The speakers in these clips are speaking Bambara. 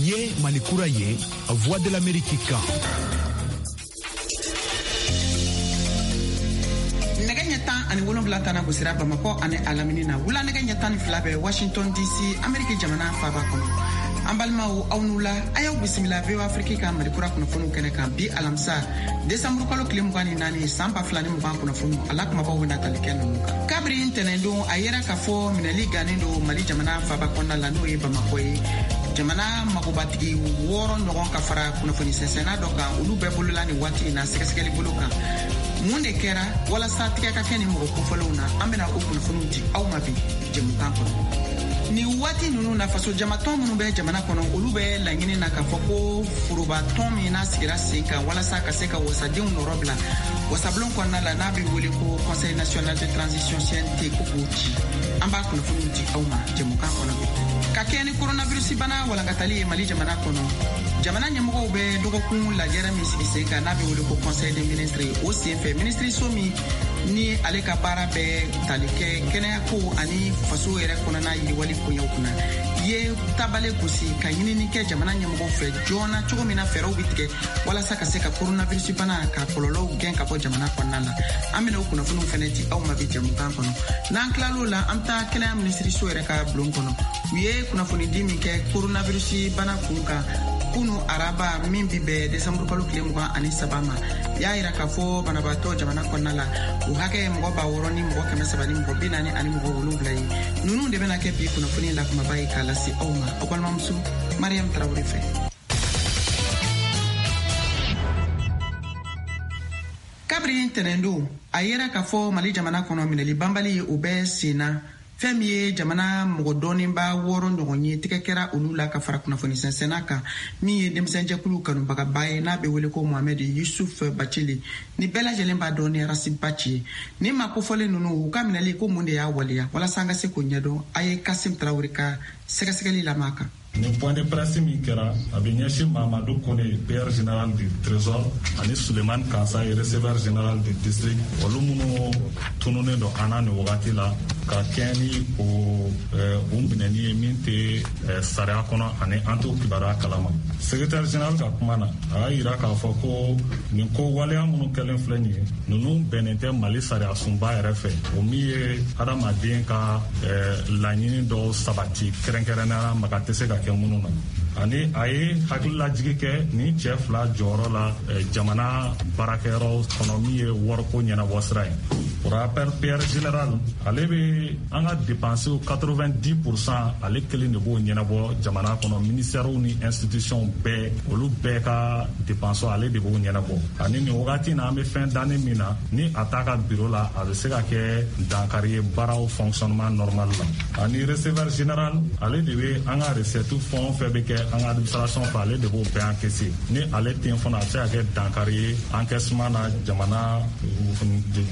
Ye Mali kura ye, Voix de l'Amérique kan. Nɛgɛ ɲɛ 17 tana gosira Bamakɔ ani a lamini na. Wula nɛgɛ ɲɛ 12 bɛ Washington DC, Ameriki jamana faaba kɔnɔ. An balimaw, aw n'u la, a y'aw bisimila VOA Afrique ka Mali kura kunnafoniw kɛnɛ kan bi alamisa desanburu kalo tile 24 san 2020. Kunnafoniw a la kumabaw bɛna tali kɛ ninnu kan. Kabiri ntɛnɛndon, a yera k'a fɔ minɛli gannen don Mali jamana faaba kɔnɔna la, n'o ye Bamakɔ ye. Jamana magobatigi wɔɔrɔ ɲɔgɔn ka fara kunnafoni sɛnsɛnna dɔ kan, olu bɛɛ bolola nin waati in na sɛgɛsɛgɛli bolo kan. Mun de kɛra walasa tigɛ ka kɛ nin mɔgɔ kofɔlenw na? An bɛna o kunnafoniw di aw ma bi jɛmukan kɔnɔ. Nin waati ninnu na, faso jamatɔn minnu bɛ jamana kɔnɔ, olu bɛ laɲini na k'a fɔ ko forobatɔn min n'a sigira sen kan walasa ka se ka wasadenw nɔrɔ bila wasabulon kɔnɔna la, n'a bɛ wele ko Conseil national de transition, CNT, ko k'o ci. An b'a kunnafoniw di aw ma jɛmukan kɔnɔ bi. Ka kɛɲɛ ni coronavirus bana walankatali ye Mali jamana kɔnɔ, jamana ɲɛmɔgɔw bɛ dɔgɔkun lajɛrɛ min sigi sen kan, n'a bɛ wele ko Conseil des ministres, o sen fɛ, minisiriso min ni ale ka baara bɛ tali kɛ kɛnɛyako ani faso yɛrɛ kɔnɔna yiriwali koɲɛw kunna, ye tabale gosi ka ɲinini kɛ jamana ɲɛmɔgɔw fɛ joona, cogo min na fɛɛrɛw bɛ tigɛ walasa ka se ka coronavirus bana ka kɔlɔlɔw gɛn ka bɔ jamana kɔnɔna la. An bɛna o kunnafoniw fɛnɛ di aw ma bi jɛmukan kɔnɔ. N'an tilal'o la, an bɛ taa kɛnɛya minisiriso yɛrɛ ka bulon kɔnɔ. U ye kunnafonidi min kɛ coronavirus bana kun kan kunu araba min bi bɛn desanburu kalo tile 23 ma, y'a yira k'a fɔ banabaatɔ jamana kɔnɔna la, o hakɛ ye mɔgɔ 6347 ye. Ninnu de bɛna kɛ bi kunnafoni la kumaba ye k'a lase aw ma aw balimamuso Mariam Tarawele fɛ. Kabiri ntɛnɛndon, a yera k'a fɔ Mali jamana kɔnɔ, minɛli banbali o bɛ sen na. Fɛn min ye jamana mɔgɔ dɔɔninba wɔɔrɔ ɲɔgɔn ye, tigɛ kɛra olu la ka fara kunnafoni sɛnsɛnna kan min ye denmisɛnjɛkulu kanubagaba ye, n'a bɛ wele ko Mohamɛd Yusuf Bacili, ni bɛɛ lajɛlen b'a dɔn ni Ras Bath ye. Ni maa kofɔlen ninnu, u ka minɛli ko, mun de y'a waleya? Walasa an ka se k'o ɲɛdɔn, a ye Kasim Tarawele ka sɛgɛsɛgɛli lamɛn a kan. Nin point de presse min kɛra, a bɛ ɲɛsin Mamadu Kone, payeur général du Trésor, ani Suleiman Kansaye, receveur général du district, olu minnu tununnen don an na nin wagati la, ka kɛɲɛ ni o u minɛni ye min tɛ sariya kɔnɔ ani an t'o kibaruya kalama. Secrétaire général ka kuma na, a y'a yira k'a fɔ ko nin ko waleya minnu kɛlen filɛ nin ye, ninnu bɛnnen tɛ Mali sariya sunba yɛrɛ fɛ, o min ye adamaden ka laɲini dɔw sabati, kɛrɛnkɛrɛnnenya la maga tɛ se ka kɛ minnu na. Ani a ye hakililajigi kɛ nin cɛ fila jɔyɔrɔ la jamana baarakɛyɔrɔ kɔnɔ, min ye wariko ɲɛnabɔ sira ye. Pour rappel, payeur général, ale bɛ an ka dépenses 90 %, ale kelen de b'o ɲɛnabɔ jamana kɔnɔ. Ministères ni institutions bɛɛ, olu bɛɛ ka dépenses, ale de b'o ɲɛnabɔ. Ani nin wagati na, an bɛ fɛn danni min na, ni a t'a ka bureau la, a bɛ se ka kɛ dankari ye baaraw fonctionnement normal la. Ani receveur général, ale de bɛ an ka recette fɛn o fɛn bɛ kɛ an ka administration fɛ, ale de b'o bɛɛ encaisser. Ni ale tɛ yen fana, a bɛ se ka kɛ dankari ye encaissement na jamana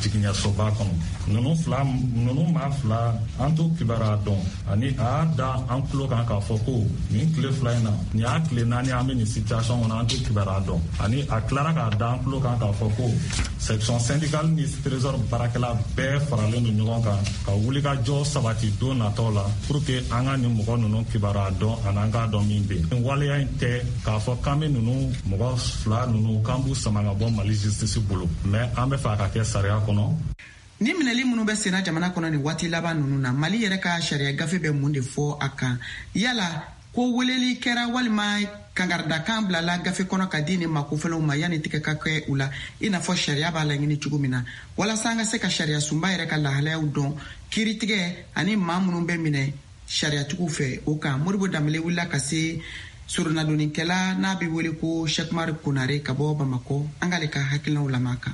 jigiɲɛsoba kɔnɔ. Ninnu fila, ninnu maa fila, an t'o kibaruya dɔn. Ani a y'a da an tulo kan k'a fɔ ko nin tile 2 in na, nin y'a tile 4, an bɛ nin situation kɔnɔ, an t'o kibaruya dɔn. Ani a tilara k'a da an tulo kan k'a fɔ ko section syndicale ni Trésor baarakɛla bɛɛ faralen don ɲɔgɔn kan ka wulikajɔ sabati don nataw la pour que an ka nin mɔgɔ ninnu kibaruya dɔn ani an k'a dɔn min bɛ yen. Nin waleya in tɛ k'a fɔ k'an bɛ ninnu mɔgɔ fila ninnu k'an b'u sama ka bɔ Mali justice bolo, mais an bɛ fɛ a ka kɛ sariya kɔnɔ. Ni minɛli minnu bɛ senna jamana kɔnɔ nin waati laban ninnu na, Mali yɛrɛ ka sariya gafe bɛ mun de fɔ a kan? Yala ko weleli kɛra walima kangaridakan bilala gafe kɔnɔ ka di nin makofɛlɛw ma yanni tigɛ ka kɛ u la, i n'a fɔ sariya b'a laɲini cogo min na? Walasa an ka se ka sariya sunba yɛrɛ ka lahalayaw dɔn kiiritigɛ ani maa minnu bɛ minɛ sariyatigiw fɛ, o kan, Modibo Danbele wulila ka se soronadonnikɛla n'a bɛ wele ko Sɛkumari Konare ka bɔ Bamakɔ. An k'ale ka hakilinaw lamɛn a kan.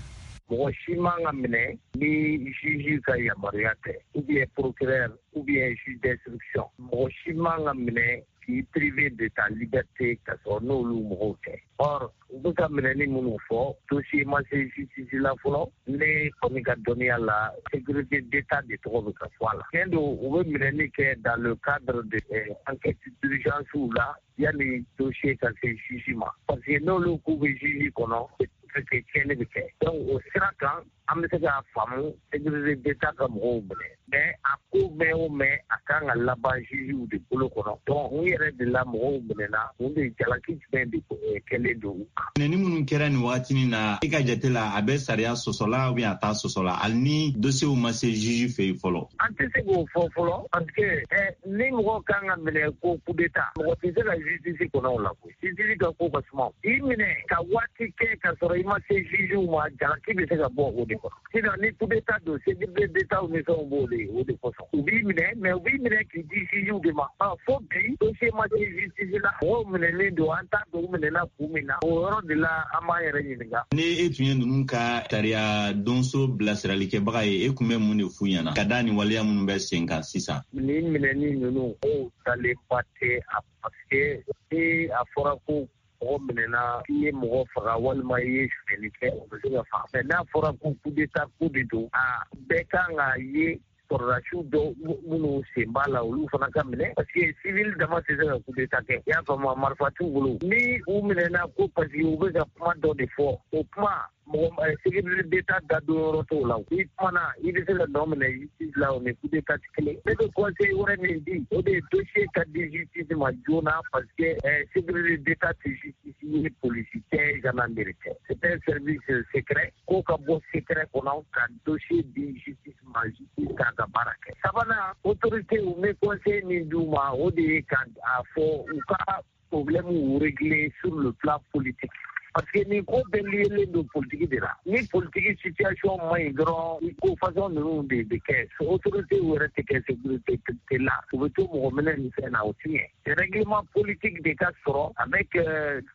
Mɔgɔ si man ka minɛ ni juge ka yamaruya tɛ, ou bien procureur, ou bien juge d'instruction. Mɔgɔ si man ka minɛ k'i privé de ta liberté ka sɔrɔ n'olu mɔgɔw tɛ. Or u bɛ ka minɛni minnu fɔ, dossier ma se justice la fɔlɔ. Ne kɔni ka dɔnniya la, sécurité d'État de tɔgɔ bɛ ka fɔ a la. Tiɲɛ don, u bɛ minɛni kɛ dans le cadre de enquête d'urgence la yanni dossier ka se juge ma, parce que n'olu k'u bɛ juge kɔnɔ, que tiɲɛni bɛ kɛ. Donc o sira kan. An bɛ se k'a faamu sécurité d'État ka mɔgɔw minɛ, mais a ko mɛn o mɛn, a kan ka laban jugew de bolo kɔnɔ. Donc u yɛrɛ de la mɔgɔw minɛna, mun de jalaki jumɛn de kɛlen don u kan? Minɛni minnu kɛra nin wagatinin na, i ka jate la, a bɛ sariya sɔsɔla ou bien a t'a sɔsɔla, hali ni dossier ma se juge fɛ yen fɔlɔ? An tɛ se k'o fɔ fɔlɔ, parce que ni mɔgɔ kan ka minɛ ko coup d'État, mɔgɔ tɛ se ka justice kɔnɔ o la koyi. Justice ka ko ka suma. I minɛ ka waati kɛ ka sɔrɔ i ma se juge ma, jalaki bɛ se ka bɔ o de kɔnɔ. Sinon ni coup d'État don, sécurité d'État ni fɛnw b'o de, o de kosɔn u b'i minɛ, mais u b'i minɛ k'i di juge de ma. Fo bi dossier ma se justice la, mɔgɔw minɛlen don, an t'a dɔn u minɛna kun min na. O yɔrɔ de la an b'an yɛrɛ ɲininka. Ni e tun ye ninnu ka sariya donso bilasiralikɛbaga ye, e tun bɛ mun de f'u ɲɛna ka da nin waleya minnu bɛ sen kan sisan? Nin minɛni ninnu, o dalenba tɛ a, parce que ni a fɔra ko mɔgɔ minɛna, i ye mɔgɔ faga walima i ye sonyɛli kɛ, o bɛ se ka faga. Mais n'a fɔra ko coup d'État ko de don, a bɛɛ kan ka ye sɔrɔdasiw dɔw minnu sen b'a la, olu fana ka minɛ, parce que civil dama tɛ se ka coup d'État kɛ. I y'a faamu, marifa t'u bolo. Ni u minɛna ko parce que u bɛ ka kuma dɔ de fɔ, o kuma, mɔgɔ sécurité d'État da don yɔrɔ t'o la. I kumana, i bɛ se ka nɔ minɛ justice la, o ni coup d'État tɛ kelen. Ne bɛ conseil wɛrɛ min di, o de ye dossier ka di justice ma joona, parce que sécurité d'État tɛ justice ye, police tɛ, gendarmerie tɛ, c'est un service secret. Ko ka bɔ secret kɔnɔ ka dossier di justice ma, justice k'a ka baara kɛ. Sabanan, autorité, u bɛ conseil min d'u ma, o de ye ka a fɔ u ka problème régler sur le plan politique, parce que nin ko bɛɛ liélen don politique de la. Ni politique situation man ɲi dɔrɔn, ko façon ninnu de bɛ kɛ. Autorité yɛrɛ tɛ kɛ sécurité la, u bɛ to mɔgɔ minɛ nin fɛn na, o ti ɲɛ. Règlement politique de ka sɔrɔ avec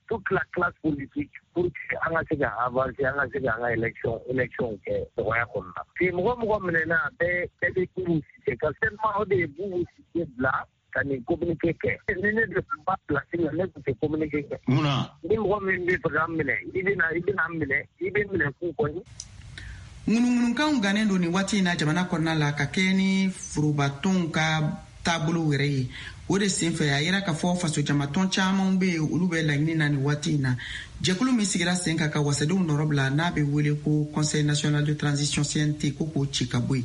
toute la classe politique pour que an ka se ka avancer, an ka se ka an ka élection kɛ nɔgɔya kɔnɔna na. Puis mɔgɔ minɛna, bɛɛ bɛɛ bɛ Boubou Cissé ka seulement, o de ye Boubou Cissé bila ka nin communiqué kɛ. Ni ne de tun b'a place la, ne tun tɛ communiqué kɛ. Mun na? Ni mɔgɔ min bɛ fɛ k'an minɛ, i bɛ na, i bɛna an minɛ, i bɛ minɛ k'u kɔni. Ŋunuŋunukanw gannen don nin waati in na jamana kɔnɔna la, ka kɛ ni forobatɔnw ka taabolo yɛrɛ ye. O de senfɛ, a yira k'a fɔ fasojamatɔn caman bɛ yen, olu bɛ laɲini na nin waati in na, jɛkulu min sigira sen kan ka wasadenw nɔrɔ bila, n'a bɛ wele ko Conseil national de transition, CNT, ko k'o ci ka bɔ yen.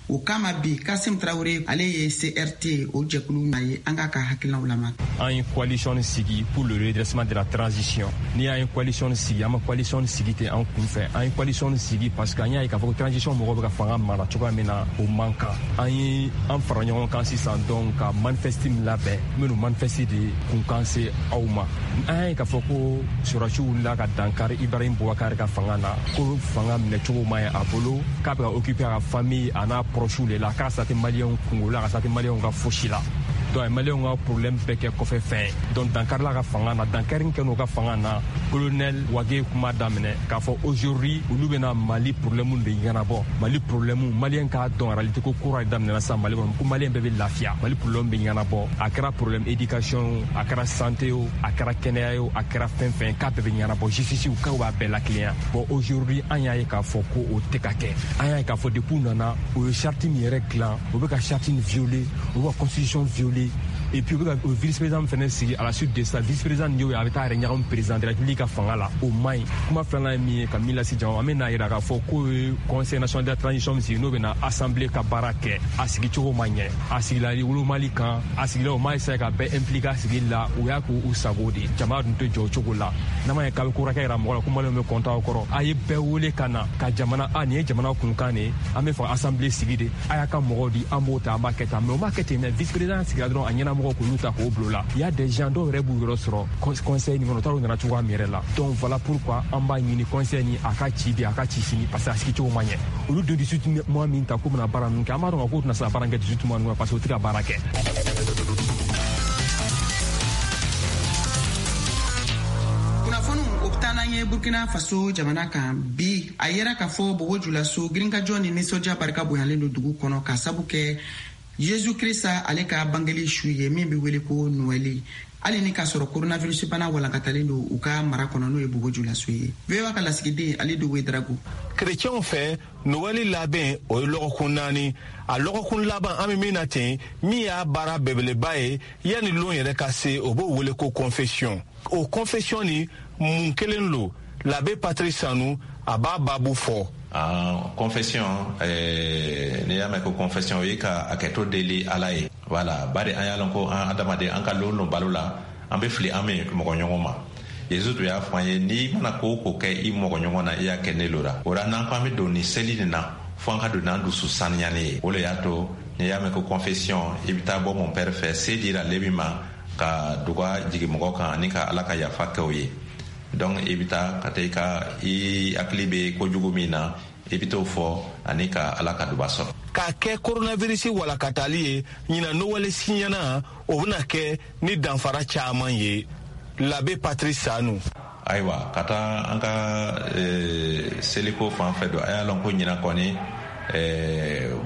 O kama bi, Kasim Tarawele, ale ye CRT o jɛkulu na ye, an k'a ka hakilinaw lamɛn. An ye coalition sigi pour le redressement de la transition. Ni y'an ye coalition sigi, an ma coalition sigi ten an kun fɛ. An ye coalition sigi parce que an y'a ye k'a fɔ ko transition mɔgɔw bɛ ka fanga mara cogoya min na, o man kan. An ye an fara ɲɔgɔn kan sisan donc ka manifeste min labɛn, n bɛn'o manifeste de kunkan se aw ma. An y'a ye k'a fɔ ko sɔrɔdasiw wulila ka dankari Ibrahim Boubacar ka fanga na, ko fanga minɛcogo ma ɲi a bolo, k'a bɛ ka occuper a ka famille a n'a proches de la, k'a sa tɛ maliyɛnw kungo la, ka sa tɛ maliyɛnw ka fosi la. Donc a ye maliyɛnw ka problème bɛɛ kɛ kɔfɛ fɛn ye. Donc dankarila ka fanga na, dankari kɛ n'o ka fanga na. Colonel Wage kuma daminɛ k'a fɔ aujourd'hui olu bɛna Mali problème de ɲɛnabɔ. Mali problème, maliyɛn k'a dɔn en réalité ko kura daminɛna sisan Mali kɔnɔ, ko maliyɛn bɛɛ bɛ lafiya, Mali problème bɛ ɲɛnabɔ. A kɛra problème éducation o, a kɛra santé o, a kɛra kɛnɛya o, a kɛra fɛn fɛn, k'a bɛɛ bɛ ɲɛnabɔ, justice k'aw b'a bɛɛ lakilenya. Bon, aujourd'hui an y'a ye k'a fɔ ko o tɛ ka kɛ. An y'a ye k'a fɔ depuis u nana, u ye charte min yɛrɛ dilan, u bɛ ka charte in violer, u bɛ ka constitution violer, et puis u bɛ ka vice président fɛnɛ sigi. À la suite de ça, vice président y'o ye, a bɛ taa yɛrɛ ɲagami président de la République ka fanga la, o man ɲi. Kuma filanan ye min ye ka min lase jama, an bɛ n'a yira k'a fɔ k'o ye Conseil national de la transition min sigi, n'o bɛ na assemblée ka baara kɛ, a sigicogo ma ɲɛ, a sigila wolomali kan, a sigila o ma essayer ka bɛɛ impliquer a sigili la, u y'a k'u sago de. Jama dun tɛ jɔ o cogo la. N'a ma ɲɛ k'a bɛ ko wɛrɛ kɛ yira mɔgɔ la ko maliyɛnw bɛ kɔntan aw kɔrɔ, a ye bɛɛ wele ka na ka jamana a nin ye jamana kunkan de ye, an bɛ fɛ assemblée sigi de, a y'a ka mɔgɔw di, an b'o ta, an b'a kɛ tan. Mais o m'a kɛ ten dɛ. Vice président sigira dɔrɔn, a ɲɛnamɔgɔw k'olu ta k'o bila o la. Il y a des gens dɔw yɛrɛ b'u yɔrɔ sɔrɔ conseil nin kɔnɔ, u t'a dɔn u nana cogoya min yɛrɛ la. Donc voilà pourquoi an b'a ɲini conseil ni a ka ci bi, a ka ci sini, parce que a sigicogo ma ɲɛ. Olu de 18 mois min ta k'u bɛna baara ninnu kɛ, an b'a dɔn k'u tɛna se ka baara kɛ 18 mois ninnu, parce que u tɛ ka baara kɛ. Kunnafoniw o bɛ taa n'an ye Burkina Faso jamana kan. Bi, a yera k'a fɔ Bobo Julaso, girinkajɔ ni nisɔndiya barika bonyalen don dugu kɔnɔ, k'a sabu kɛ Yezu Krista ale ka bangeli su ye, min bɛ wele ko Noɛli, hali ni k'a sɔrɔ coronavirus bana walankatalen don u ka mara kɔnɔ, n'o ye Bobo Julaso ye. VOA ka lasigiden Alidu Wedrago. Kerecɛnw fɛ, Noɛli labɛn o ye lɔgɔkun 4. A lɔgɔkun laban an bɛ min na ten, min y'a baara belebeleba ye yanni lon yɛrɛ ka se, o b'o wele ko confession. O confession ni mun kelen lo? L'abbé Patrice Sanou, A b'a babu fɔ. Confession, n'i y'a mɛn ko confession, o ye ka hakɛto deli Ala ye. Wala bari an y'a lɔn ko an adamaden, an ka lon lon balo la, an bɛ fili an bɛ mɔgɔ ɲɔgɔn ma. Yesu tun y'a fɔ an ye, n'i mana ko o ko kɛ i mɔgɔ ɲɔgɔn na, i y'a kɛ ne lo la. O la, n'an ko an bɛ don nin seli nin na, fo an ka don n'an dusu saniyalen ye. O le y'a to n'i y'a mɛn ko confession, i bɛ taa bɔ mon père fɛ, se dira ale min ma ka duga jigin mɔgɔ kan ani ka Ala ka yafa kɛ o ye. Donc i bɛ taa ka taa i ka i hakili bɛ kojugu min na, i bɛ t'o fɔ ani ka Ala ka duba sɔrɔ. K'a kɛ coronavirus walakatali ye, ɲinan Nowɛli siɲɛna, o bɛna kɛ ni danfara caman ye. L'abbé Patrice Sanu. Ayiwa, ka taa an ka seliko fan fɛ don, a y'a lɔn ko ɲinan kɔni,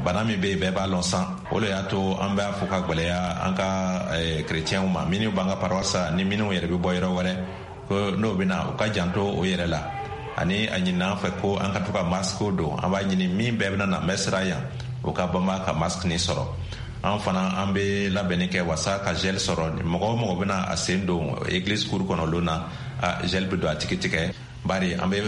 bana min bɛ yen, bɛɛ b'a lɔn san. O le y'a to an b'a fɔ ka gwɛlɛya an ka kerecɛnw ma, minnu b'an ka paroisse ni minnu yɛrɛ bɛ bɔ yɔrɔ wɛrɛ, ko n'o bɛ na, u ka janto o yɛrɛ la. Ani a ɲinina an fɛ ko an ka to ka masque don. An b'a ɲini min bɛɛ bɛna na messe ra yan, o ka banba ka masque nin sɔrɔ. An fana, an bɛ labɛnni kɛ wasa ka gel sɔrɔ. Mɔgɔ o mɔgɔ bɛna a sen don église cour kɔnɔ lon na, a gel bɛ don a tigi tigɛ, bari an bɛ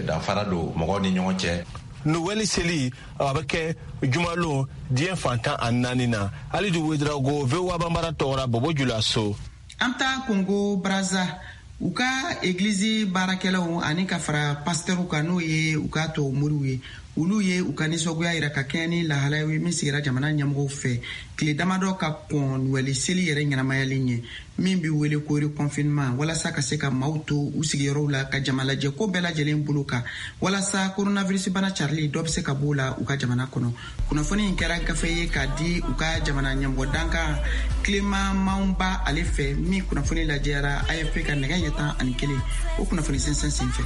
danfara don mɔgɔw ni ɲɔgɔn cɛ. Nowɛli seli, a bɛ kɛ jumalon diɲɛ fan 14 na. Alidu Wedrago, VOA Banbara tɔgɔra, Bobo Julaso. An taa Kongo Braza, u ka egilizi baarakɛlaw ani ka fara pasitɛriw kan, n'o ye u ka tubabu moriw ye, olu ye u ka nisɔngoya yira ka kɛɲɛ ni lahalaya ye min sigira jamana ɲɛmɔgɔw fɛ tile damadɔ ka kɔn Nuwɛli seli yɛrɛ ɲɛnamayali ɲɛ, min bi wele ko reconfinement, walasa ka se ka maaw to u sigiyɔrɔw la, ka jamalajɛ ko bɛɛ lajɛlen bolo kan, walasa coronavirus bana carili dɔ bɛ se ka b'o la u ka jamana kɔnɔ. Kunnafoni in kɛra gafe ye k'a di u ka jamana ɲɛmɔgɔ dankan Clément Mouamba ale fɛ, min kunnafoni lajɛyara AFP ka nɛgɛ ɲɛ 11, o kunnafoni sɛnsɛn sen fɛ.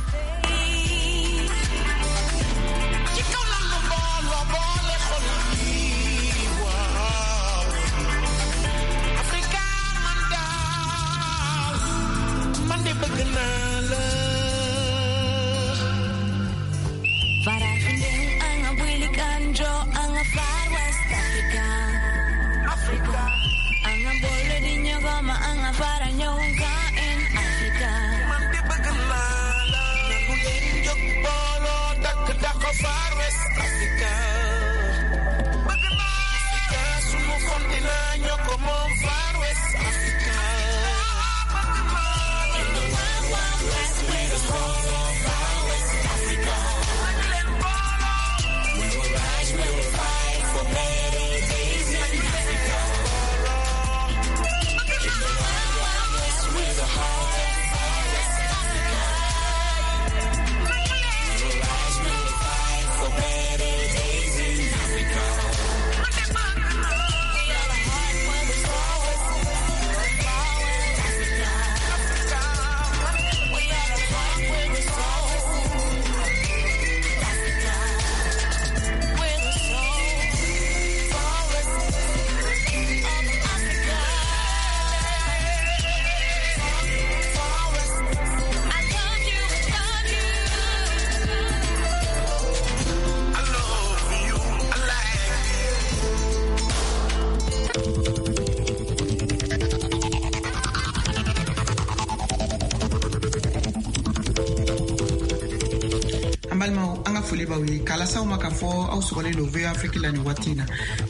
B'aw ye k'a lase aw ma k'a fɔ aw sɔgɔlen don VOA Afrique la nin waati in na,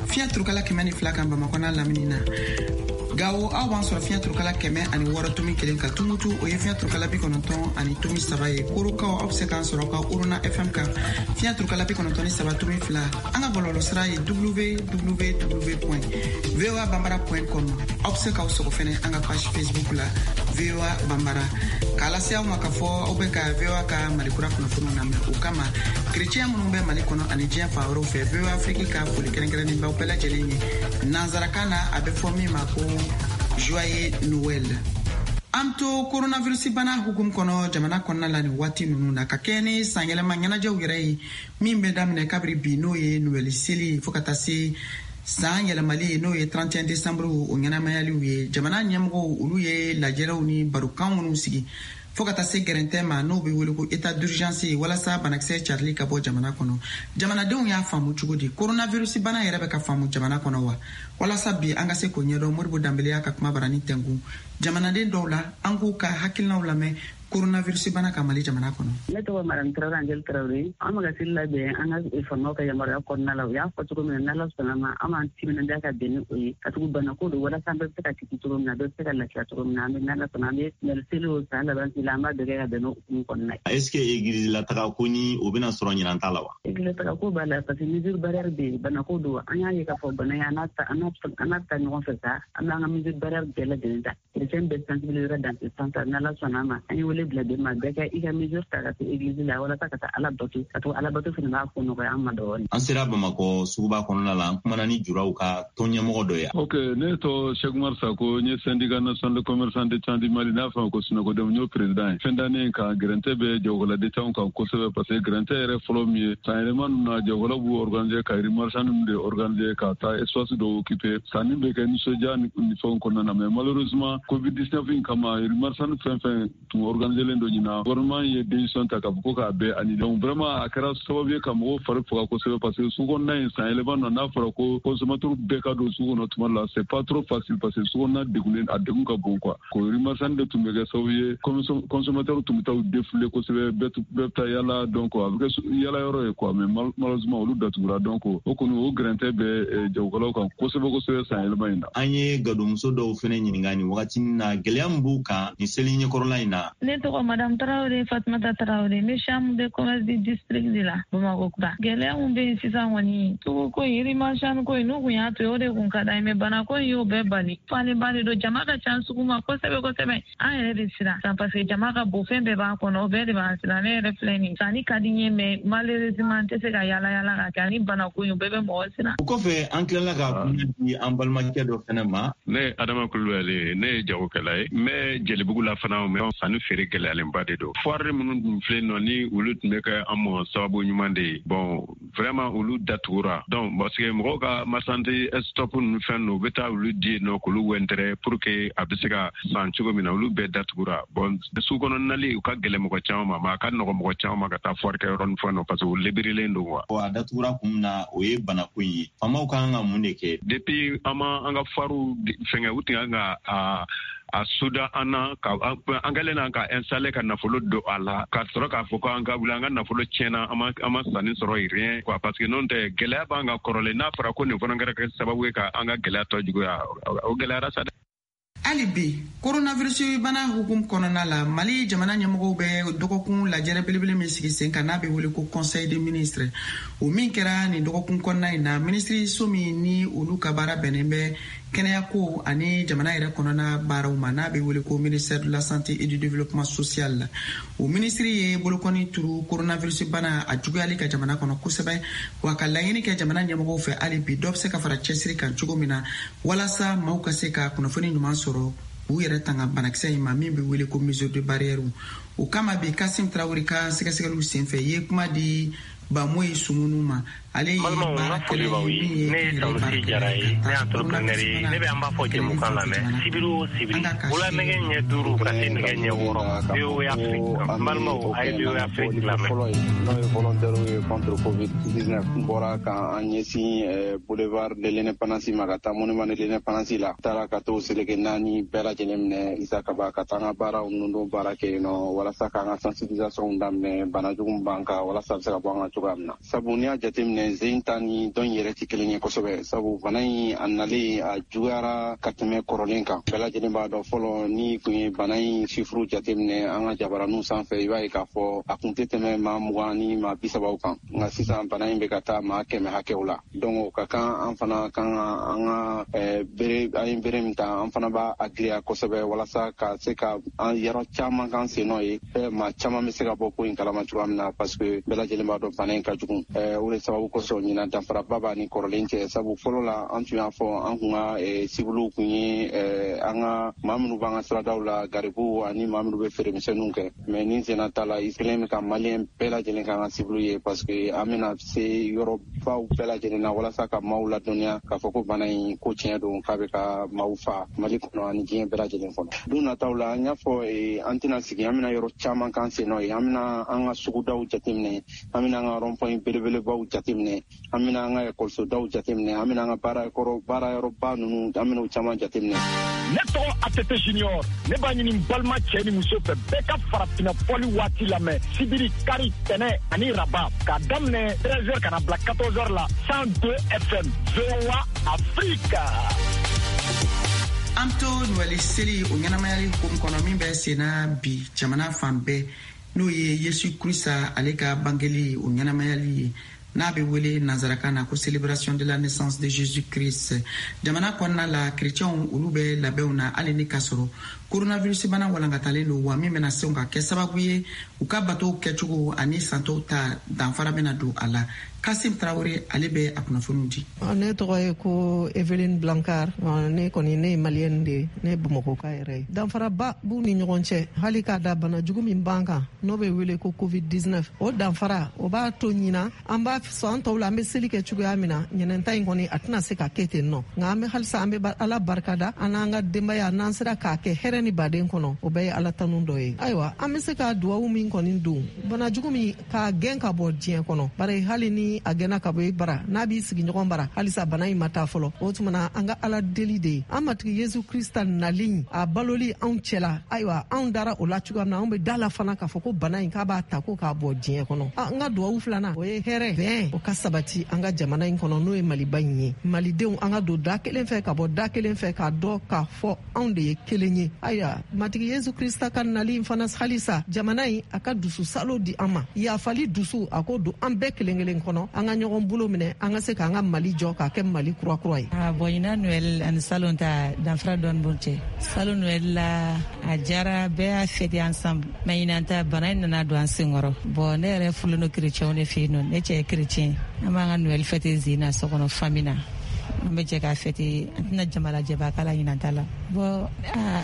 fiɲɛ turukala 102 kan Bamakɔ n'a lamini na. Gawo, aw b'an sɔrɔ fiɲɛ turukala 106.1 kan. Tumutu, o ye fiɲɛ turukala 90.3 ye. Korokaw, aw bɛ se k'an sɔrɔ aw ka Orona FM kan, fiɲɛ turukala 93.2. An ka bɔlɔlɔ sira ye www.voabambara.com. Aw bɛ se k'aw sɔgɔ fɛnɛ an ka page Facebook la, VOA Bambara. K'a lase aw ma k'a fɔ aw bɛ ka VOA ka Malikura kunnafoniw lamɛn. O kama, kerecɛn minnu bɛ Mali kɔnɔ ani diɲɛ fan wɛrɛw fɛ, VOA Afrique ka foli kɛrɛnkɛrɛnnen b'aw bɛɛ lajɛlen ye. Nanzarakan na, a bɛ fɔ min ma ko joyeux Noël. An to coronavirus bana hukumu kɔnɔ jamana kɔnɔna la nin waati ninnu na, ka kɛɲɛ ni sanyɛlɛma ɲɛnajɛw yɛrɛ ye min bɛ daminɛ kabiri bi, n'o ye Noël seli, fo ka taa se san yɛlɛmali, n'o ye 31 décembre, o ɲɛnamayaliw ye, jamana ɲɛmɔgɔw, olu ye lajɛrɛw ni barokan minnu sigi fo ka taa se gɛrɛntɛ ma, n'o bɛ wele ko état d'urgence ye, walasa banakisɛ carili ka bɔ jamana kɔnɔ. Jamanadenw y'a faamu cogo di? Coronavirus bana yɛrɛ bɛ ka faamu jamana kɔnɔ wa? Walasa bi an ka se k'o ɲɛdɔn, Modibo Danbele y'a ka kuma barani tɛnku jamanaden dɔw la. An k'u ka hakilinaw lamɛn. coronavirus bana kan Mali jamana kɔnɔ. Ne tɔgɔ Madame Traoré Angèle Traoré. An bɛ ka seli labɛn an ka faamaw ka yamaruya kɔnɔna la. U y'a fɔ cogo min na, n'Ala sɔnna ma, an b'an timinandiya ka bɛn ni o ye. Ka tugu banako don walasa an bɛɛ bɛ se ka kisi cogo min na, bɛɛ bɛ se ka lafiya cogo min na. An bɛ n'Ala sɔnna, an bɛ seli o san laban seli, an b'a bɛɛ kɛ ka bɛn n'o hukumu kɔnɔna ye. Est-ce que église la taga ko ni o bɛna sɔrɔ ɲinan ta la wa? Église taga ko b'a la parce que mesure barrière bɛ yen, banako don. An y'a ye k'a fɔ bana ye, an n'a ta ɲɔgɔn fɛ sa, an b'an ka mesure barrière bɛɛ lajɛlen ta. Chrétien bɛɛ sensibiliser dans ce sens. N'Ala sɔnna ma, an ye wele bila bɛɛ ma, bɛɛ ka i ka mesure ta ka se église la walasa ka taa Ala bato, ka to Ala bato fana b'a ko nɔgɔya an ma dɔɔnin. An sera Bamakɔ suguba kɔnɔna la, an kumana ni juraw ka tɔn ɲɛmɔgɔ dɔ ye. Ok, ne tɔ Cheikh Oumar Sako, n ye syndicat national de commerçant détaillants du Mali, n'a fɔ ko SYNACODEM, n y'o président ye. Fin d'année kan gɛrɛntɛ bɛ jagokɛla détaillants kan kosɛbɛ, parce que gɛrɛntɛ yɛrɛ fɔlɔ min ye, san yɛlɛma ninnu na, jagokɛlaw b'u organiser ka rue marchande ninnu de organiser ka taa espace dɔw occuper. Sanni bɛ kɛ nisɔndiya ni fɛnw kɔnɔna na, mais malheureusement COVID-19 in kama, rue marchande fɛn fɛn tun organiser len don ɲinan, gouvernement ye décision ta k'a fɔ ko k'a bɛɛ annuler. Donc vraiment a kɛra sababu ye ka mɔgɔw fari faga kosɛbɛ, parce que sugu kɔnɔna in san yɛlɛma na, n'a fɔra ko consommateur bɛɛ ka don sugu kɔnɔ tuma la, c'est pas trop facile, parce que sugu kɔnɔna degunnen, a degun ka bon quoi. Ko rue marchande de tun bɛ kɛ sababu ye, consommateur tun bɛ taa u défouler kosɛbɛ, bɛɛ bɛ taa yala, donc a bɛ kɛ yala yɔrɔ ye quoi. Mais malheureusement olu datugura, donc o kɔni o gɛrɛntɛ bɛ jagokɛlaw kan kosɛbɛ kosɛbɛ san yɛlɛma in na. An ye gadonmuso dɔw fɛnɛ ɲininka nin wagati na, gɛlɛya min b'u kan nin seli ɲɛkɔrɔla in na. Ne tɔgɔ Madame Traoré Fatumata Traoré, n bɛ chambre de commerce du district de la Bamakɔ kura. Gɛlɛya mun bɛ yen sisan kɔni, sugu ko in, rue marchande ko in, n'u kun y'a to yen, o de kun ka d'an ye, mais bana ko in y'o bɛɛ bali. Falenba de don, jama ka ca sugu ma kosɛbɛ kosɛbɛ. An yɛrɛ de siran san parce que jama ka bon, fɛn bɛɛ b'a kɔnɔ, o bɛɛ de b'an siran. Ne yɛrɛ filɛ nin, sanni ka di n ye, mais malheureusement n tɛ se ka yala yala ka kɛ, ani bana ko in, o bɛɛ bɛ mɔgɔ siran. O kɔfɛ, an tilala ka kuma di an balimakɛ dɔ fɛnɛ ma. Ne ye Adama Kulubali, ne ye jagokɛla ye, n bɛ Jelibugu la fana, mais sanni feere gɛlɛyalenba de don. Foire minnu tun filɛ nɔ, ni olu tun bɛ kɛ an mɔ sababu ɲuman de ye, bon vraiment olu datugura. Donc parce que mɔgɔw ka marchandise stop ninnu fɛn ninnu, u bɛ taa olu di yen nɔ k'olu wɛntɛrɛ pour que a bɛ se ka san cogo min na, olu bɛɛ datugura. Bon, sugu kɔnɔ nali u ka gɛlɛn mɔgɔ caman ma, mais a ka nɔgɔ mɔgɔ caman ma ka taa foire kɛ yɔrɔ ni fɛn nɔ, parce que u libérélen don quoi. A datugura kun min na, o ye banako in ye. Faamaw ka kan ka mun de kɛ? Depuis an ma an ka foirew fɛngɛ, u tun kan ka a soda an na, ka an kɛlen na ka installer, ka nafolo don a la, ka sɔrɔ k'a fɔ ko an ka wuli, an ka nafolo tiɲɛna, an ma sanni sɔrɔ, rien quoi. Parce que n'o tɛ, gɛlɛya b'an ka kɔrɔlen. N'a fɔra ko nin fana kɛra kɛ sababu ye ka an ka gɛlɛya tɔ juguya, o gɛlɛyara sa dɛ. Hali bi coronavirus bana hukum kɔnɔna la, Mali jamana ɲɛmɔgɔw bɛ dɔgɔkun lajɛrɛ belebele min sigi sen kan, n'a bɛ wele ko conseil des ministres, o min kɛra nin dɔgɔkun kɔnɔna in na, minisiriso min ni olu ka baara bɛnnen bɛ kɛnɛyako ani jamana yɛrɛ kɔnɔna baaraw ma, n'a bɛ wele ko ministère de la Santé et du Développement social, o minisiri ye bolokɔni turu coronavirus bana a juguyali ka jamana kɔnɔ kosɛbɛ, wa ka laɲini kɛ jamana ɲɛmɔgɔw fɛ hali bi, dɔ bɛ se ka fara cɛsiri kan cogo min na walasa maaw ka se ka kunnafoni ɲuman sɔrɔ k'u yɛrɛ tanga banakisɛ in ma, min bɛ wele ko mesure de barrière. O kama bi, Kasim Tarawele ka sɛgɛsɛgɛliw senfɛ, i ye kuma di Bamoyi Sumunu ma. Ale ye baarakɛla ye min ye Ne ye Sanusi Jara ye, ne ye entrepreneur ye. Ne bɛ an b'a fɔ jɛmukan lamɛn sibiri o sibiri, wula nɛgɛ ɲɛ 5 ka se nɛgɛ ɲɛ 6, VOA Afrique. N balimaw, a ye VOA Afrique lamɛn. Fɔlɔ ye, n'o ye volontaire ye contre COVID 19, n bɔra ka an ɲɛsin boulevard de l'Indépendance ma, ka taa monument de l'Indépendance la, taara ka t'o seleke naani bɛɛ lajɛlen minɛ, Isa Kaba, ka taa an ka baaraw ninnu baara kɛ yen nɔ, walasa k'an ka sensibilisation daminɛ bana jugu b'an kan, walasa a bɛ se ka bɔ an kan cogoya min na. Sabu n'i y'a jateminɛ, zen ta ni dɔn yɛrɛ tɛ kelen ye kosɛbɛ, sabu bana in a nalen a juguyara ka tɛmɛ kɔrɔlen kan. Bɛɛ lajɛlen b'a dɔn, fɔlɔ ni kun ye bana in chiffre jateminɛ an ka jabaraninw sanfɛ, i b'a ye k'a fɔ a kun tɛ tɛmɛ maa 20 ni maa 30 kan, nka sisan bana in bɛ ka taa maa 100 hakɛw la. Donc o ka kan an fana kan ka an ka bere, an ye bere min ta, an fana b'a a giriya kosɛbɛ, walasa ka se ka an yɔrɔ caman kan sen nɔ ye, maa caman bɛ se ka bɔ ko in kalama cogoya min na, parce que bɛɛ lajɛlen b'a dɔn bana in ka jugu. O de sababu kosɔn ɲinan danfaraba b'a ni kɔrɔlen cɛ, sabu fɔlɔ la an tun y'a fɔ an kun ka cible kun ye an ka maa minnu b'an ka siradaw la, garibuw ani maa minnu bɛ feeremisɛnninw kɛ. Mais nin senna ta la, i kelen bɛ ka Malien bɛɛ lajɛlen k'an ka cible ye, parce que an bɛna se yɔrɔbaw bɛɛ lajɛlen na walasa ka maaw ladɔnniya k'a fɔ ko bana in ko tiɲɛ don, k'a bɛ ka maaw fa Mali kɔnɔ ani diɲɛ bɛɛ lajɛlen kɔnɔ. Don nataw la, an y'a fɔ an tɛna sigi, an bɛna yɔrɔ caman k'an sen nɔ ye, an bɛna an ka sugudaw jateminɛ, an bɛna an ka rond point belebelebaw jateminɛ. jateminɛ, an bɛna an ka ekɔlisodaw jateminɛ, an bɛna an ka baarayɔrɔba ninnu, an bɛna o caman jateminɛ. Ne tɔgɔ ATT Junior, ne b'a ɲini n balima cɛ ni muso fɛ, bɛɛ ka farafinna fɔli waati lamɛn sibiri, kari, tɛnɛ ani raba, k'a daminɛ 13h ka na bila 14h la, 102 FM, VOA Afrique. An to Noɛli seli o ɲɛnamayali hukumu kɔnɔ min bɛ senna bi jamana fan bɛɛ, n'o ye Yesu Krista ale ka bangeli o ɲɛnamayali ye, n'a bɛ wele nanzarakan na ko célébration de la naissance de Jésus Christ. Jamana kɔnɔna la, kerecɛnw olu bɛ labɛnw na, hali ni k'a sɔrɔ coronavirus bana walankatalen don, wa min bɛna se ka kɛ sababu ye u ka batow kɛcogo ani santɔw ta danfara bɛna don a la. Kasim Tarawele, ale bɛ a kunnafoniw di. Ne tɔgɔ ye ko Eveline Blancard. Ne kɔni, ne ye Malienne de ye, ne ye Bamakɔka yɛrɛ ye. Danfaraba b'u ni ɲɔgɔn cɛ, hali k'a da bana jugu min b'an kan, n'o bɛ wele ko COVID-19. O danfara o b'a to ɲina an b'a san tɔw la, an bɛ seli kɛ cogoya min na, ɲinɛnta in kɔni a tɛna se ka kɛ ten nɔ. Nka an bɛ halisa an bɛ Ala barikada, an n'an ka denbaya, n'an sera k'a kɛ hɛrɛ ni baden kɔnɔ, o bɛɛ ye Ala tanu dɔ ye. Ayiwa, an bɛ se ka duwawu min kɔni don, bana jugu min k'a gɛn ka bɔ diɲɛ kɔnɔ, bari hali ni a gɛnna ka bɔ i bara, n'a b'i sigiɲɔgɔn bara, halisa bana in ma taa fɔlɔ. O tuma na, an ka Ala deli de ye, an Matigi Yesu Krista nali, a baloli anw cɛla. Ayiwa, anw dara o la cogoya min na, anw bɛ da la fana k'a fɔ ko bana in k'a b'a ta ko k'a bɔ diɲɛ kɔnɔ. An ka duwawu filanan, o ye hɛrɛ bɛn, o ka sabati an ka jamana in kɔnɔ, n'o ye Maliba in ye. Malidenw, an ka don da kelen fɛ ka bɔ da kelen fɛ, k'a dɔn k'a fɔ anw de ye kelen ye. Ayiwa, Matigi Yesu Krista ka nali in fana, halisa jamana in a ka dusu salo di an ma, yafali dusu a ko don an bɛɛ kelen kelen kɔnɔ, an ka ɲɔgɔn bolo minɛ, an ka se k'an ka Mali jɔ k'a kɛ Mali kura kura ye. Bon, ɲinan Noël ani salon ta, danfara dɔɔni b'u cɛ. Salon Noël la, a jara, bɛɛ y'a fêter ensemble, mais ɲinan ta, bana in nana don an senkɔrɔ. Bon, ne yɛrɛ furulen don chrétien de fɛ yen nɔ, ne cɛ ye chrétien. An b'an ka Noël fêter zen na, so kɔnɔ, famille na, an bɛ jɛ k'a fêter, an tɛna jamalajɛba k'a la ɲinan ta la. Bon,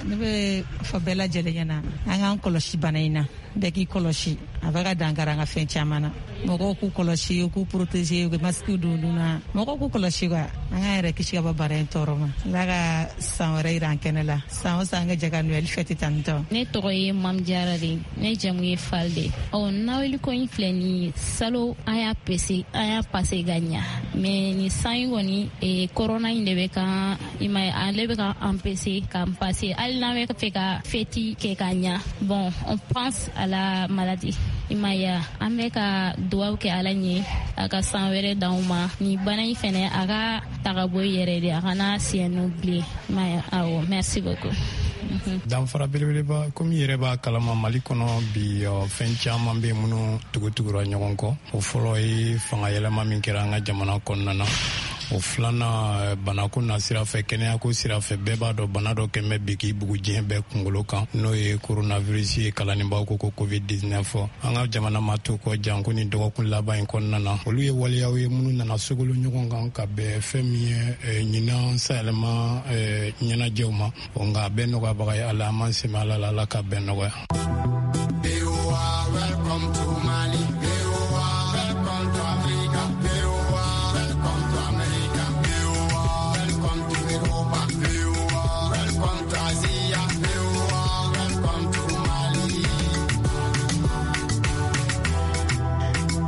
ne bɛ fɔ bɛɛ lajɛlen ɲɛna, an k'an kɔlɔsi bana in na, bɛɛ k'i kɔlɔsi, a bɛ ka dankari an ka fɛn caman na. Mɔgɔw k'u kɔlɔsi, k'u protéger, u bɛ masque don nun na, mɔgɔw k'u kɔlɔsi quoi, an k'an yɛrɛ kisi ka bɔ bana in tɔɔrɔ ma. Ala ka san wɛrɛ yira an kɛnɛ la, san o san an ka jɛ ka Noël fêter tan tɔ. Ne tɔgɔ ye Mam Jara de, ne jamu ye Fal de. Ɔ, Noël ko in filɛ nin ye, salon an y'a pese, an y'a passé ka ɲa, mais ni san in kɔni, corona in de bɛ kan, i ma ye, ale bɛ ka empêcher k'an passer, hali n'an bɛ fɛ ka fête kɛ ka ɲa. Bon, on pense à la maladie, i ma ye. An bɛ ka duwawu kɛ Ala ɲɛ, a ka san wɛrɛ d'anw ma, ni bana in fɛnɛ a ka taga bɔ i yɛrɛ de, a kana siɲɛ bilen, i ma ye. Awɔ, merci beaucoup. Danfara belebeleba, komi i yɛrɛ b'a kalama, Mali kɔnɔ bi, fɛn caman bɛ minnu tugutugura ɲɔgɔn kɔ. O fɔlɔ ye fanga yɛlɛma min kɛra an ka jamana kɔnɔna na. O filanan, banako na sira fɛ, kɛnɛyako sira fɛ, bɛɛ b'a dɔn bana dɔ kɛn bɛ bi k'i bugu diɲɛ bɛɛ kunkolo kan, n'o ye coronavirus ye, kalannibaw ko ko COVID 19. An ka jamana ma to kɔ janko ni dɔgɔkun laban in kɔnɔna na. Olu ye waleyaw ye minnu nana sogolo ɲɔgɔn kan ka bɛn fɛn min ye ɲinan sayɛlɛma ɲɛnajɛw ma. Nka a bɛɛ nɔgɔyabaga ye Ala, an m'an sɛmɛ Ala la, Ala ka bɛɛ nɔgɔya. Welcome to Mali. Welcome to Africa. Welcome to America. Welcome to Europa. Welcome to Asia. Welcome to Mali.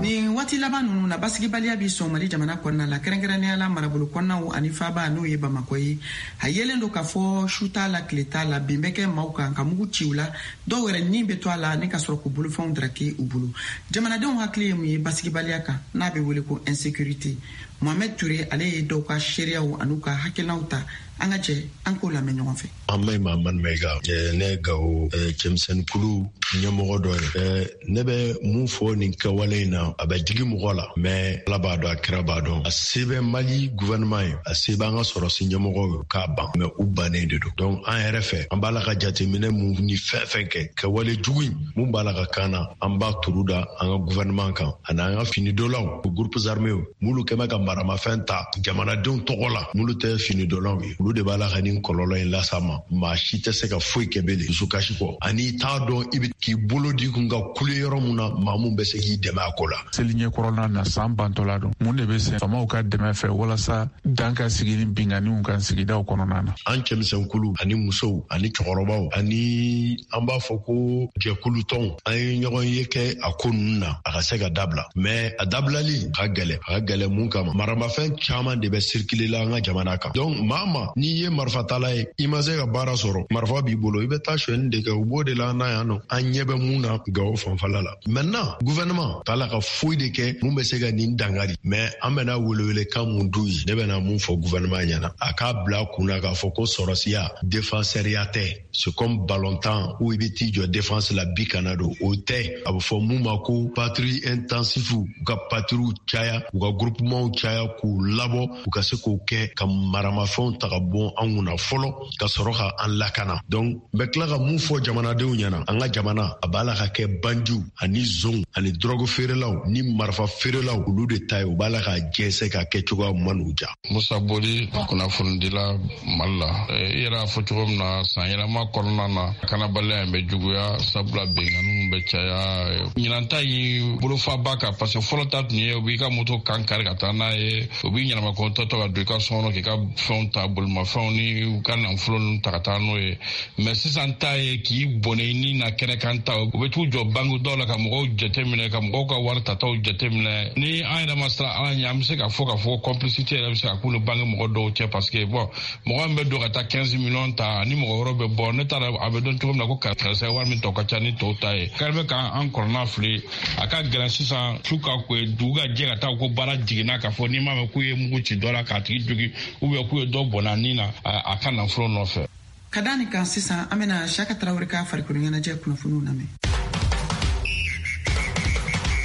Nin waati laban ninnu na, basigibaliya bi sɔn Mali jamana kɔnɔna la, kɛrɛnkɛrɛnnenya la marabolo kɔnɔnaw ani faaba, n'o ye Bamakɔ ye. A yelen don k'a fɔ su t'a la, tile t'a la, bin bɛ kɛ maaw kan ka mugu ci u la, dɔw yɛrɛ ni bɛ to a la, ni ka sɔrɔ k'u bolofɛnw daraki u bolo. Jamanadenw hakili ye mun ye basigibaliya kan, n'a bɛ wele ko insécurité? Mohamed Touré, ale ye dɔw ka seereyaw an'u ka hakilinaw ta. An ka jɛ an k'o lamɛn ɲɔgɔn fɛ. An bɛ Mamadu Mayiga, ne ye Gawo cɛmisɛnninkulu ɲɛmɔgɔ dɔ ye. Ne bɛ mun fɔ nin kɛwale in na? A bɛ digi mɔgɔ la, mais Ala b'a dɔn, a kira b'a dɔn, a se bɛ Mali gouvernement ye, a se b'an ka sɔrɔsi ɲɛmɔgɔw ye k'a ban, mais u bannen de don. Donc an yɛrɛ fɛ, an b'a la ka jateminɛ mun ni fɛn fɛn kɛ, kɛwale jugu in mun b'a la ka kan na, an b'a turu da an ka gouvernement kan ani an ka finidonlaw, groupes armés minnu kɛmɛ ka maramafɛn ta jamanadenw tɔgɔ la, minnu tɛ finidonlaw ye. Olu de b'a la ka nin kɔlɔlɔ in las'a ma. Maa si tɛ se ka foyi kɛ bele dusukasi kɔ, ani i t'a dɔn i bɛ k'i bolo di kun ka kule yɔrɔ mun na, maa mun bɛ se k'i dɛmɛ a ko la. Seli ɲɛkɔrɔla na, san bantɔla don, mun de bɛ sen faamaw ka dɛmɛ fɛ walasa dan ka sigi ni binkanniw kan sigidaw kɔnɔna na? An cɛmisɛnkulu ani musow ani cɛkɔrɔbaw ani an b'a fɔ ko jɛkulutɔnw, an ye ɲɔgɔn ye kɛ a ko ninnu na, a ka se ka dabila. Mais a dabilali ka gɛlɛn, a ka gɛlɛn mun kama, maramafɛn caman de bɛ circuler la an ka jamana kan. Donc maa ma n'i ye marifatala ye, i ma se ka baara sɔrɔ, marifa b'i bolo, i bɛ taa sonyɛni de kɛ. U b'o de la an na yan nɔ. An ɲɛ bɛ mun na Gawo fanfɛla la maintenant, gouvernement t'a la ka foyi de kɛ mun bɛ se ka nin dankari. Mais an bɛna welewelekan mun d'u ye, ne bɛna mun fɔ gouvernement ɲɛna, a k'a bila kun na k'a fɔ ko sɔrɔsiya défenseurya tɛ. C'est comme ballontan où i bɛ t'i jɔ défense la, bi kana don, o tɛ. A bɛ fɔ mun ma ko patrouille intensive, u ka patrouille caya, u ka groupement caya, k'u labɔ, u ka se k'o kɛ ka maramafɛnw ta ka bɔ an kunna fɔlɔ, ka sɔrɔ ka an lakana. Donc n bɛ tila ka mun fɔ jamanadenw ɲɛna, an ka jamana a b'a la ka kɛ bandiw ani zonw ani dɔrɔgu feerelaw ni marifa feerelaw, olu de ta ye. U b'a la k'a jɛnsɛn ka kɛ cogoya man n'u ja. Musa Boli, kunnafonidila Mali la. I yɛrɛ y'a fɔ cogo min na, san yɛlɛma kɔnɔna na, kanabaliya in bɛ juguya, sabula binkanniw bɛ caya. Ɲinan ta ye bolofaba kan, parce que fɔlɔ ta tun ye u b'i ka moto kan kari ka taa n'a ye, u b'i ɲɛnama tɔ ka don i ka so kɔnɔ k'i ka fɛnw ta, bolimafɛnw ni u ka nafolo ninnu ta ka taa n'o ye. Mais sisan ta ye k'i bɔnɛ i ni na kɛnɛ kan ta, u bɛ t'u jɔ banque dɔw la ka mɔgɔw jateminɛ, ka mɔgɔw ka wari tataw jateminɛ. Ni an yɛrɛ ma siran Ala ɲɛ, an bɛ se k'a fɔ k'a fɔ complicité yɛrɛ bɛ se ka k'u ni banque mɔgɔ dɔw cɛ, parce que bon, mɔgɔ min bɛ don ka taa 15 millions ta ni mɔgɔ wɛrɛ bɛ bɔ, ne t'a dɔn a bɛ dɔn cogo min na ko karisa wari min tɔ ka ca ni tɔw ta ye. Kari bɛ k'an kɔnɔna fili, a ka gɛlɛn sisan su ka ko dugu ka jɛ ka taa ko baara jiginna k'a fɔ n'i m'a mɛn k'u ye mugu ci dɔ la k'a tigi jogi, ou bien k'u ye dɔ bɔnna nin na a ka nafolo nɔfɛ. Ka da nin kan sisan, an bɛna Siyaka Tarawele ka farikolo ɲɛnajɛ kunnafoniw lamɛn.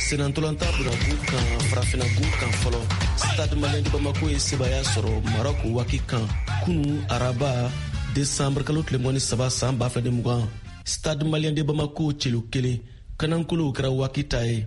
Senantolantan bunakun kan, Farafina gun kan fɔlɔ, Stade Malien de Bamako ye sebaya sɔrɔ Maroc WAC kan kunu araba, desanburu kalo tile 23 san 2020. Stade Malien de Bamako celu 1 kanankolow kɛra WAC ta ye.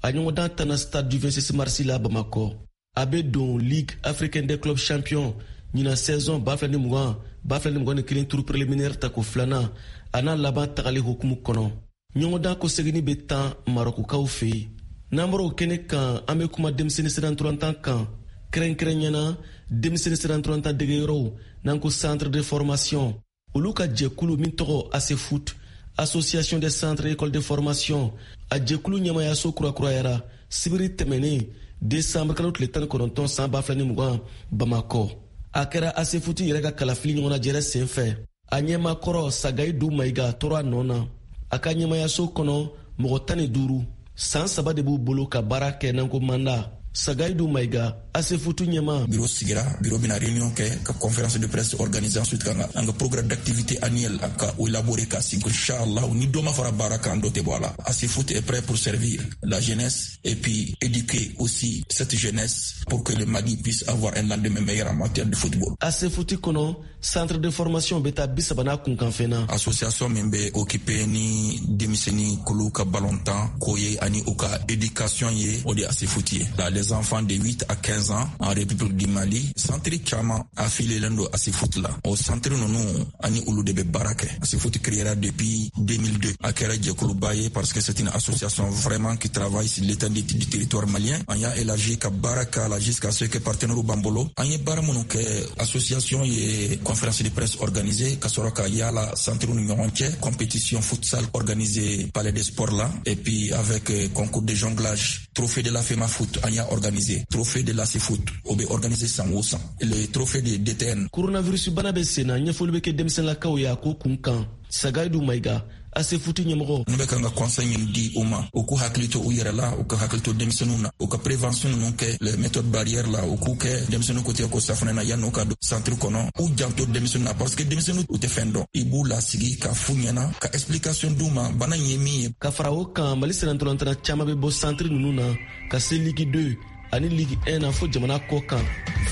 A ɲɔgɔndan tanna Stade du 26 mars la Bamakɔ. A bɛ don Ligue africaine des clubs champions ɲinan saison 2020-2021 tour préliminaire tako filanan a n'a laban tagali hukumu kɔnɔ. Ɲɔgɔndan kɔseginni bɛ tan Marɔkukaw fɛ yen. N'an bɔra o kɛnɛ kan, an bɛ kuma denmisɛnnin sennantolatan kan, kɛrɛnkɛrɛnyana denmisɛnnin sennantolatan degeyɔrɔw n'an ko centre de formation. Olu ka jɛkulu min tɔgɔ ASEFOOT, Association des centres écoles de formation, a jɛkulu ɲɛmayaso kurakurayara sibiri tɛmɛnen, desanburu kalo tile 19 san 2020 Bamakɔ. A kɛra ASEFOOT yɛrɛ ka kalafili ɲɔgɔnnajɛrɛ sen fɛ. A ɲɛmakɔrɔ Sagayidu Mayiga tora a nɔ na. A ka ɲɛmayaso kɔnɔ, mɔgɔ 15, san 3 de b'u bolo ka baara kɛ n'an ko mandat. Sagayidu Mayiga, ASEFOOT ɲɛma. Bureau sigira, bureau bɛna réunion kɛ ka conférence de presse organiser, ensuite ka an ka programme d'activité annuel ka o élaborer ka sigi. Inchallah, ni dɔ ma fara baara kan, dɔ tɛ bɔ a la. ASEFOOT est prêt pour servir la jeunesse et puis éduquer aussi cette jeunesse pour que le Mali puisse avoir un lendemain meilleur en matière de football. ASEFOOT kɔnɔ, centre de formation bɛ taa 30 n'a kunkanfɛn na. Association min bɛ occupé ni denmisɛnnin kulu ka ballontan ko ye ani u ka éducation ye, o de ye ASEFOOT ye. Les enfants de 8 à 15 ans en République du Mali, centre caman affilié don ASEFOOT la. O centre ninnu ani olu de bɛ baara kɛ. ASEFOOT créera depuis 2002. A kɛra jɛkuluba ye parce que c'est une association vraiment qui travaille sur l'étendue du territoire malien. An y'a élargi ka baara k'a la jusqu'à ce que partenaires b'an bolo. An ye baara minnu kɛ, association ye conférence de presse organisée ka sɔrɔ ka yala centre ni ɲɔgɔn cɛ, compétition futsal organisée palais des sports là, et puis avec concours de jonglage, trophée de la FEMAFOOT an y'a organisé, trophée de l'ASEFOOT o bɛ organisé san o san, le trophée de DTN. Coronavirus bana bɛ sen na, ɲɛfɔli bɛ kɛ denmisɛnlakaw ye a ko kun kan. Sagayidu Mayiga, ASEFOOT ɲɛmɔgɔ. Ne bɛ kan ka conseil min di u ma, u k'u hakili to u yɛrɛ la, u ka hakili to denmisɛnninw na, u ka prévention ninnu kɛ, les méthodes barrières la, u k'u kɛ denmisɛnninw ko tigɛ ko safunɛ na yan'u ka don centre kɔnɔ. U janto denmisɛnninw na parce que denmisɛnninw u tɛ fɛn dɔn. I b'u lasigi ka f'u ɲɛna ka explication d'u ma bana in ye min ye. Ka fara o kan, Mali sennantolatan caman bɛ bɔ centre ninnu na ka se Ligue 2 ani Ligue 1 na fo jamana kɔ kan.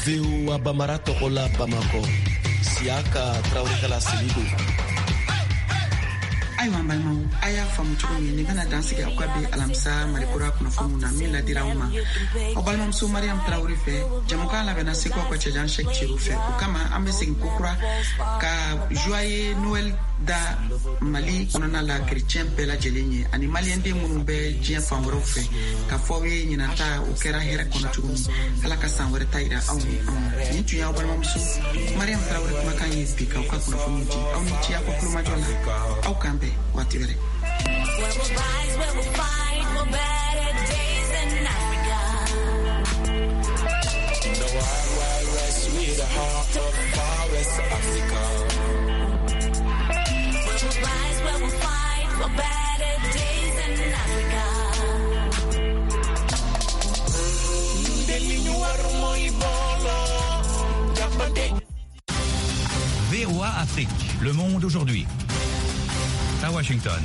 VOA Bambara tɔgɔ la Bamakɔ, Siyaka Tarawele ka laseli don. Ayiwa, n balimaw, a y'a faamu cogo min, nin bɛna dan sigi aw ka bi alamisa Malikura kunnafoniw na min ladira aw ma aw balimamuso Mariam Tarawele fɛ. Jamukan labɛnna Seko aw ka cɛjan Sɛk Cero fɛ. O kama, an bɛ segin kokura ka joyeux Noël da Mali kɔnɔna la kerecɛn bɛɛ lajɛlen ye, ani maliyɛnden minnu bɛ diɲɛ fan wɛrɛw fɛ, ka fɔ aw ye ɲinan ta o kɛra hɛrɛ kɔnɔ cogo min, Ala ka san wɛrɛ ta yira aw ni anw na. Nin tun y'aw balimamuso Mariam Tarawele kumakan ye bi k'aw ka kunnafoniw di. Aw ni ce aw ka kulomajɔ la. Aw k'an bɛn waati wɛrɛ. Where we'll rise, where we'll fight for better days in Africa. In the wild, wild west, we the heart of far west Africa. Where we'll rise, where we'll fight for better days in Africa. Ñun de li ñu war mooy booloo jàppante. VOA Afrique, le monde aujourd'hui. À Washington.